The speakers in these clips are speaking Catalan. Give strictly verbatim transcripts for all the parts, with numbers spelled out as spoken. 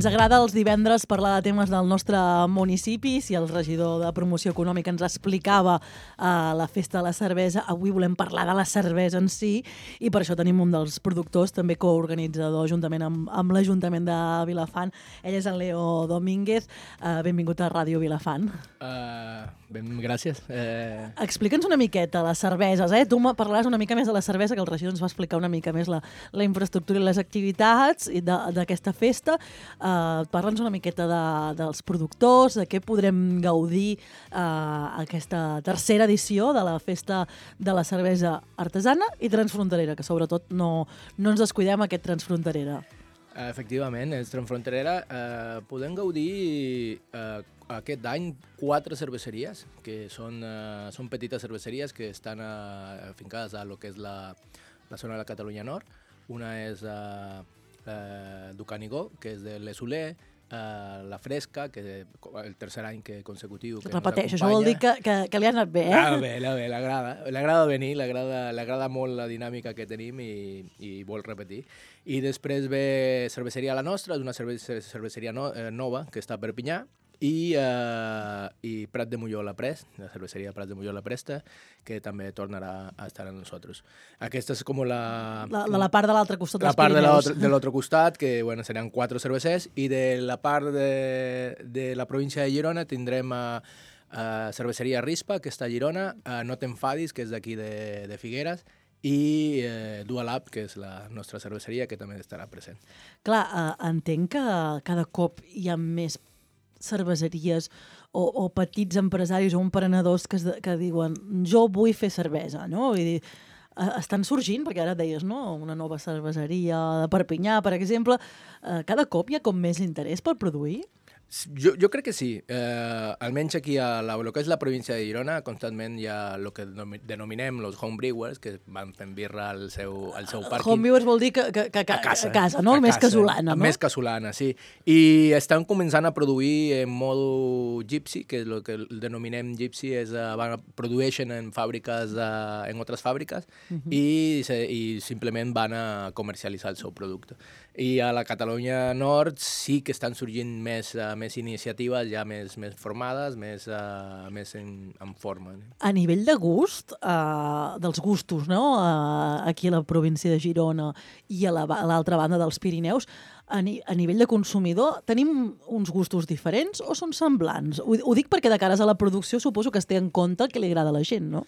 Ens agrada els divendres parlar de temes del nostre municipi. Si el regidor de Promoció Econòmica ens explicava uh, la festa de la cervesa, avui volem parlar de la cervesa en si i per això tenim un dels productors, també coorganitzador juntament amb, amb l'Ajuntament de Vilafant. Ell és el Leo Domínguez. Uh, benvingut a Ràdio Vilafant. Uh, ben, gràcies. Uh... Explica'ns una miqueta les cerveses. Eh? Tu me parlaràs una mica més de la cervesa, que el regidor ens va explicar una mica més la, la infraestructura i les activitats d'aquesta festa. Uh, Parla'ns una miqueta de, dels productors, de què podrem gaudir uh, aquesta tercera edició de la festa de la cervesa artesana i transfronterera, que sobretot no, no ens descuidem aquest transfronterera. Efectivament, és transfronterera. Uh, podem gaudir uh, aquest any quatre cerveseries, que són, uh, són petites cerveseries que estan uh, afincades a lo que és la, la zona de la Catalunya Nord. Una és uh, uh, Ducanigó, que és de l'Esoler, uh, la Fresca, que el tercer any que consecutiu que repeteixo, això vol dir que, que, que li ha anat bé, eh? Ah, bé, bé, l'agrada. L'agrada venir, l'agrada molt la dinàmica que tenim i, i vol repetir. I després ve Cerveseria La Nostra, és una cerveseria no, eh, nova que està a Perpinyà, i, uh, i Prat de Molló la Prest, la cerveceria Prat de Molló la Presta, que també tornarà a estar amb nosaltres. Aquesta és com la... La, de la part de l'altre costat dels Pirineus. La part Pirineus. de l'altre costat, que bueno, seran quatre cervesers, i de la part de, de la província de Girona tindrem a, a Cerveceria Rispa, que està a Girona, a No t'enfadis, que és d'aquí de, de Figueres, i eh, Dualab, que és la nostra cerveseria, que també estarà present. Clar, eh, entenc que cada cop hi ha més cerveseries o, o petits empresaris o emprenedors que, es, que diuen jo vull fer cervesa, no? Vull dir, eh, estan sorgint, perquè ara deies, no? Una nova cerveseria de Perpinyà, per exemple. Eh, cada cop hi ha com més interès per produir? Jo, jo crec que sí. Eh, almenys aquí a la, lo que és la província de Girona, constantment hi ha el que denominem els homebrewers, que van fent birra al seu, al seu pàrquing. Homebrewers vol dir que, que, que, que a casa, a casa no? A més casa, casolana, no? Més casolana, sí. I estan començant a produir en modo gypsy, que és el que denominem gypsy, és, uh, van, produeixen en fàbriques, uh, en altres fàbriques, uh -huh. i, se, i simplement van a comercialitzar el seu producte. I a la Catalunya Nord sí que estan sorgint més, uh, més iniciatives ja més, més formades, més, uh, més en, en forma. A nivell de gust, uh, dels gustos, no? Uh, aquí a la província de Girona i a l'altra la, banda dels Pirineus, a, ni, a nivell de consumidor, tenim uns gustos diferents o són semblants? Ho, ho dic perquè de cares a la producció suposo que es té en compte el que li agrada a la gent, no?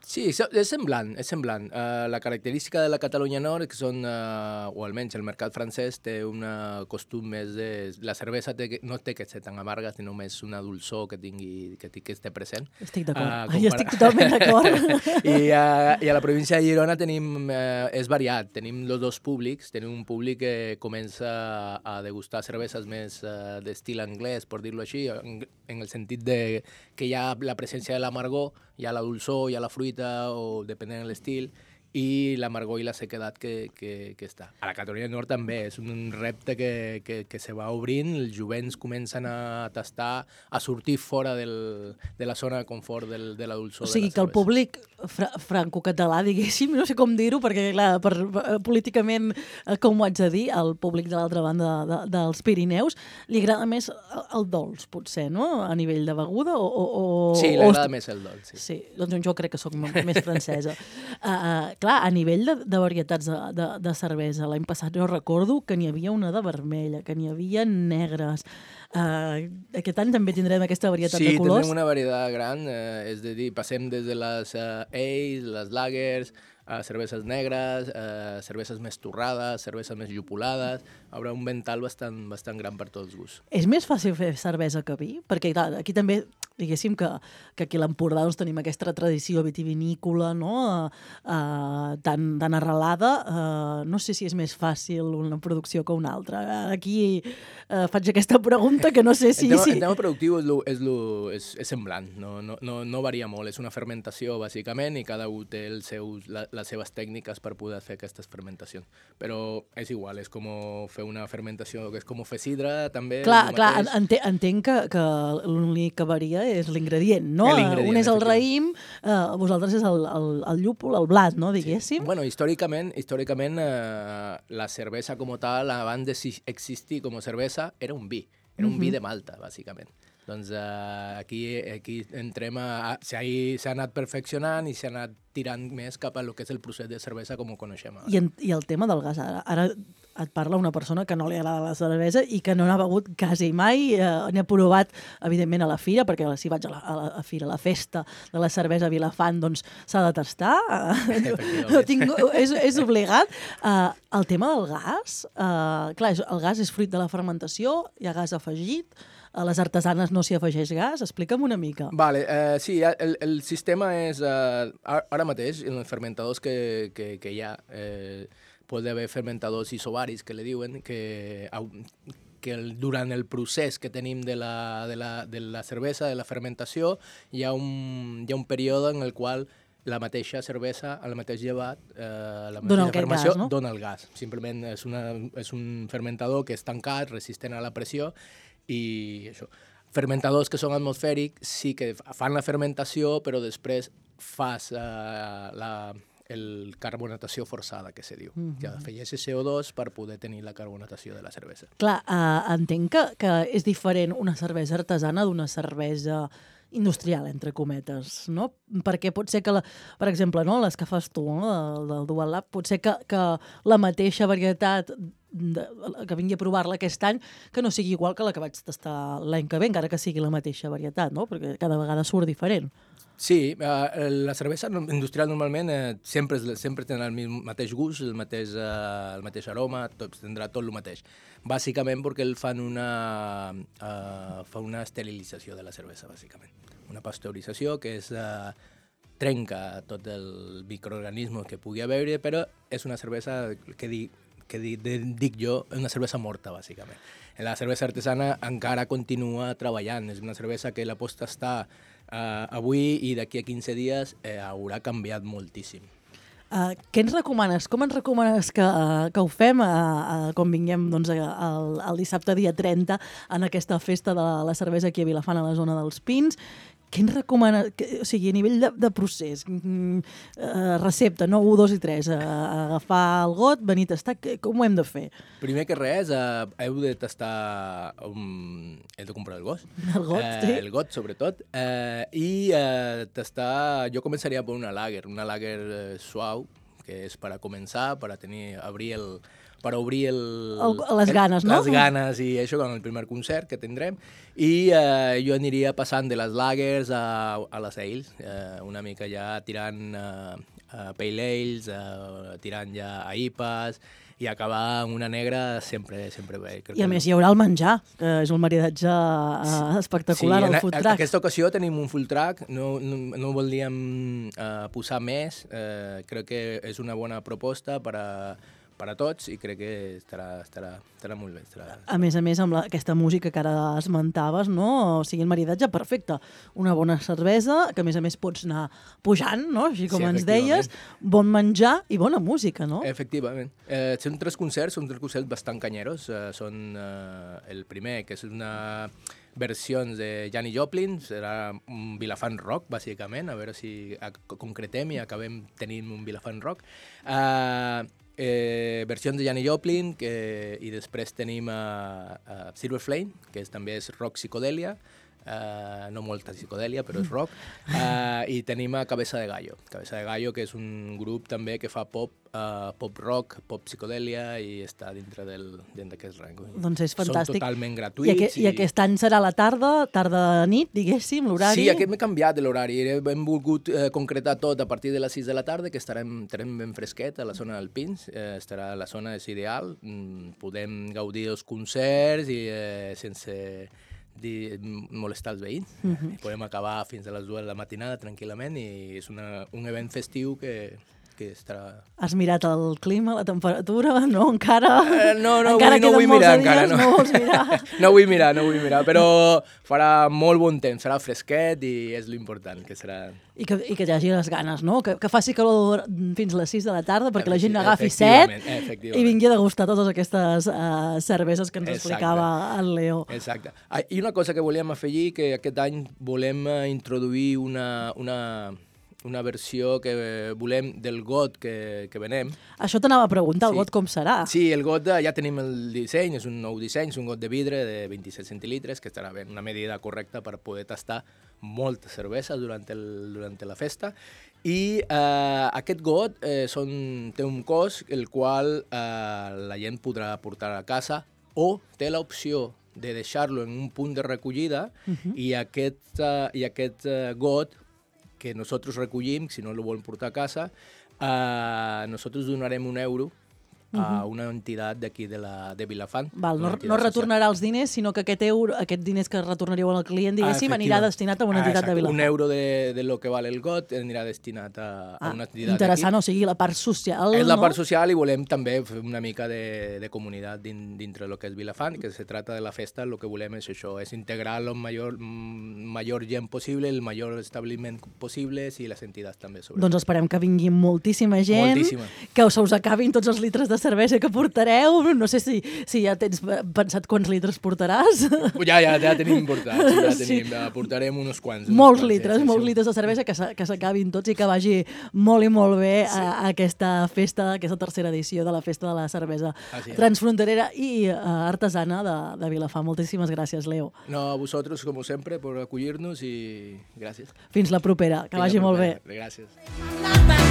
Sí, és semblant, és semblant. Uh, la característica de la Catalunya Nord és que són, uh, o almenys el mercat francès té un costum més de... La cervesa té, no té que ser tan amarga, sinó més una dolçor que tingui, que, que esté present. Estic d'acord, uh, compara... jo estic totalment d'acord. I, uh, I a la província de Girona tenim, uh, és variat, tenim els dos públics, tenim un públic que comença a degustar cerveses més uh, d'estil anglès, per dir-ho així, en, en el sentit de que hi ha la presència de l'amargor, hi ha la dolçor, hi ha la fruita, o depenent de l'estil, i l'amargor i la sequedat que, que, que està. A la Catalunya Nord també és un repte que, que, que se va obrint, els jovents comencen a tastar, a sortir fora del, de la zona de confort del, de la dolçor. O sigui de la que el públic fra franco-català, diguéssim, no sé com dir-ho, perquè clar, per, per, políticament, com ho haig de dir, el públic de l'altra banda de, de, dels Pirineus, li agrada més el, el dolç, potser, no? A nivell de beguda? O, o, sí, li agrada més el dolç. Sí. sí, doncs jo crec que sóc més francesa. Uh, clar, a nivell de, de varietats de, de, de cervesa, l'any passat jo recordo que n'hi havia una de vermella, que n'hi havia negres. Uh, aquest any també tindrem aquesta varietat sí, de colors. Sí, tindrem una varietat gran, eh, és a dir, passem des de les uh, ales, les lagers, uh, cerveses negres, uh, cerveses més torrades, cerveses més llupolades. Hi haurà un vental bastant, bastant gran per tots els gusts. És més fàcil fer cervesa que vi? Perquè clar, aquí també, diguéssim que, que aquí a l'Empordà doncs, tenim aquesta tradició vitivinícola, no? Uh, uh, tan, tan arrelada. Uh, no sé si és més fàcil una producció que una altra. Uh, aquí uh, faig aquesta pregunta que no sé si... El tema, si... el tema productiu és, lo, és, lo, és, és semblant, no, no, no, no varia molt. És una fermentació, bàsicament, i cada un té els seus, la, les seves tècniques per poder fer aquestes fermentacions. Però és igual, és com fer una fermentació, que és com fer sidra, també. Clar, clar entenc, entenc que, que l'únic que varia és l'ingredient, no? L'ingredient, Un és el efectivament. raïm, eh, vosaltres és el, el, el llúpol, el blat, no, diguéssim? Sí. Bueno, històricament, històricament eh, la cervesa com tal, abans d'existir com a cervesa, era un vi. Era un vi de Malta, bàsicament. Doncs eh, aquí, aquí entrem a... S'ha anat perfeccionant i s'ha anat tirant més cap a lo que és el procés de cervesa com ho coneixem ara. I, en, I el tema del gas, ara, ara et parla una persona que no li agrada la cervesa i que no n'ha begut quasi mai, eh, n'ha provat, evidentment, a la fira, perquè si vaig a la, a la a fira, a la festa de la cervesa a Vilafant, doncs s'ha de tastar, no tinc, és, és obligat. Uh, el tema del gas, uh, clar, el gas és fruit de la fermentació, hi ha gas afegit, a les artesanes no s'hi afegeix gas, explica'm una mica. Vale, eh, sí, el, el sistema és, eh, ara mateix, en els fermentadors que, que, que hi ha, eh, pot haver fermentadors isobaris, que li diuen, que, que el, durant el procés que tenim de la, de, la, de la cervesa, de la fermentació, hi ha un, hi ha un període en el qual la mateixa cervesa, el mateix llevat, eh, la mateixa fermentació, gas, no? dona el gas. Simplement és, una, és un fermentador que és tancat, resistent a la pressió, i això. Fermentadors que són atmosfèrics sí que fan la fermentació, però després fas uh, la el carbonatació forçada, que se diu. Mm-hmm. Que afegeixes C O dos per poder tenir la carbonatació de la cervesa. Clar, uh, entenc que, que és diferent una cervesa artesana d'una cervesa industrial, entre cometes, no? Perquè pot ser que, la, per exemple, no, les que fas tu, no, del, del Dual Lab, pot ser que, que la mateixa varietat de, que vingui a provar-la aquest any, que no sigui igual que la que vaig tastar l'any que ve, encara que sigui la mateixa varietat, no? Perquè cada vegada surt diferent. Sí, uh, la cervesa industrial normalment uh, sempre, sempre tindrà el mateix gust, el mateix, uh, el mateix aroma, tot, tindrà tot el mateix. Bàsicament perquè el fan una, uh, fa una esterilització de la cervesa, bàsicament. Una pasteurització que és... Uh, trenca tot el microorganisme que pugui haver-hi, però és una cervesa que, di, que di, de, dic jo, una cervesa morta, bàsicament. La cervesa artesana encara continua treballant, és una cervesa que la pots tastar uh, avui i d'aquí a quinze dies eh, haurà canviat moltíssim. Uh, què ens recomanes? Com ens recomanes que, uh, que ho fem uh, uh, quan vinguem doncs, el, el dissabte dia trenta en aquesta festa de la cervesa aquí a Vilafant, a la zona dels Pins? Què ens recomana, que, o sigui, a nivell de, de procés, mm, uh, recepta, no? un, dos i tres, uh, agafar el got, venir a tastar, que, com ho hem de fer? Primer que res, uh, heu de tastar, um, heu de comprar el got. El got, uh, sí. El got, sobretot. Uh, I uh, tastar, jo començaria per una lager, una lager uh, suau, que és per a començar, per a tenir, obrir el... per obrir el, el, les ganes, el, no? Les ganes i això, com el primer concert que tindrem. I eh, jo aniria passant de les lagers a, a les ales, eh, una mica ja tirant eh, a pale ales, eh, tirant ja a I P As, i acabar amb una negra sempre, sempre bé. I a més hi haurà el menjar, que és un maridatge uh, espectacular, sí, el food truck. En aquesta ocasió tenim un food truck, no, no, no voldríem uh, posar més, uh, crec que és una bona proposta per a per a tots i crec que estarà, estarà, estarà molt bé. Estarà... A més a més, amb la, aquesta música que ara esmentaves, no? O sigui, el maridatge perfecte. Una bona cervesa, que a més a més pots anar pujant, no? Així com sí, ens deies, bon menjar i bona música, no? Efectivament. Eh, són tres concerts, són tres concerts bastant canyeros. Eh, són eh, el primer, que és una versió de Janis Joplin, serà un Vilafant rock, bàsicament, a veure si concretem i acabem tenint un Vilafant rock. Eh, Eh, versions de Janis Joplin, que, i després tenim uh, uh, Silver Flame, que és, també és rock psicodèlia, uh, no molta psicodèlia, però és rock, uh, i tenim a Cabeza de Gallo, Cabeza de Gallo, que és un grup també que fa pop, uh, pop rock, pop psicodèlia, i està dintre d'aquest rang. Doncs és fantàstic. Són totalment gratuïts. I, aquest, i... I aquest any serà la tarda, tarda-nit, diguéssim, l'horari? Sí, aquest m'he canviat l'horari. Hem volgut eh, concretar tot a partir de les sis de la tarda, que estarem, estarem ben fresquet a la zona del Pins. Eh, estarà la zona és ideal. Mm, podem gaudir dels concerts i eh, sense dir, molestar els veïns. Uh-huh. Podem acabar fins a les dues de la matinada tranquil·lament i és una, un event festiu que... que estarà... Has mirat el clima, la temperatura? No, encara... Eh, no, no, encara avui no vull mirar, encara. No. no vols mirar. no vull mirar, no vull mirar, però farà molt bon temps, serà fresquet i és l'important, que serà... I que, I que hi hagi les ganes, no? Que, que faci calor fins a les sis de la tarda perquè la gent agafi Efectivament, set efectivament. i vingui a degustar totes aquestes uh, cerveses que ens Exacte. explicava el Leo. Exacte. Ah, i una cosa que volíem afegir, que aquest any volem eh, introduir una, una, una versió que volem del got que, que venem. Això t'anava a preguntar, el Sí. got com serà? Sí, el got eh, ja tenim el disseny, és un nou disseny, és un got de vidre de vint-i-set centilitres, que estarà ben una medida correcta per poder tastar molta cervesa durant, el, durant la festa. I eh, aquest got eh, són, té un cos el qual eh, la gent podrà portar a casa o té l'opció de deixar-lo en un punt de recollida uh-huh. i aquest, uh, i aquest uh, got que nosaltres recollim, si no el volen portar a casa, uh, nosaltres donarem un euro a una entitat d'aquí de, la, de Vilafant. Val, no, no retornarà els diners, sinó que aquest euro, aquest diners que retornaríeu al client, diguéssim, ah, anirà destinat a una entitat ah, de Vilafant. Un euro de, de lo que val el got anirà destinat a, ah, a una entitat interessant, o sigui, la part social... És la no? part social i volem també fer una mica de, de comunitat din, dintre del que és Vilafant, que se trata de la festa, el que volem és això, és integrar el major, major gent possible, el major establiment possible i les entitats també. Sobre. Doncs esperem que vingui moltíssima gent, moltíssima. Que se us acabin tots els litres de cervesa que portareu. No sé si, si ja tens pensat quants litres portaràs. Ja, ja, ja tenim portats, ja tenim, sí. Portarem uns quants. Uns molts quants, litres, ja, sí, molts sí. litres de cervesa, que s'acabin tots i que vagi molt i molt bé sí. a, a aquesta festa, aquesta tercera edició de la Festa de la Cervesa Transfronterera i uh, Artesana de, de Vilafant. Moltíssimes gràcies, Leo. No, a vosaltres, com sempre, per acollir-nos i gràcies. Fins la propera, que Fins vagi molt bé. Gràcies.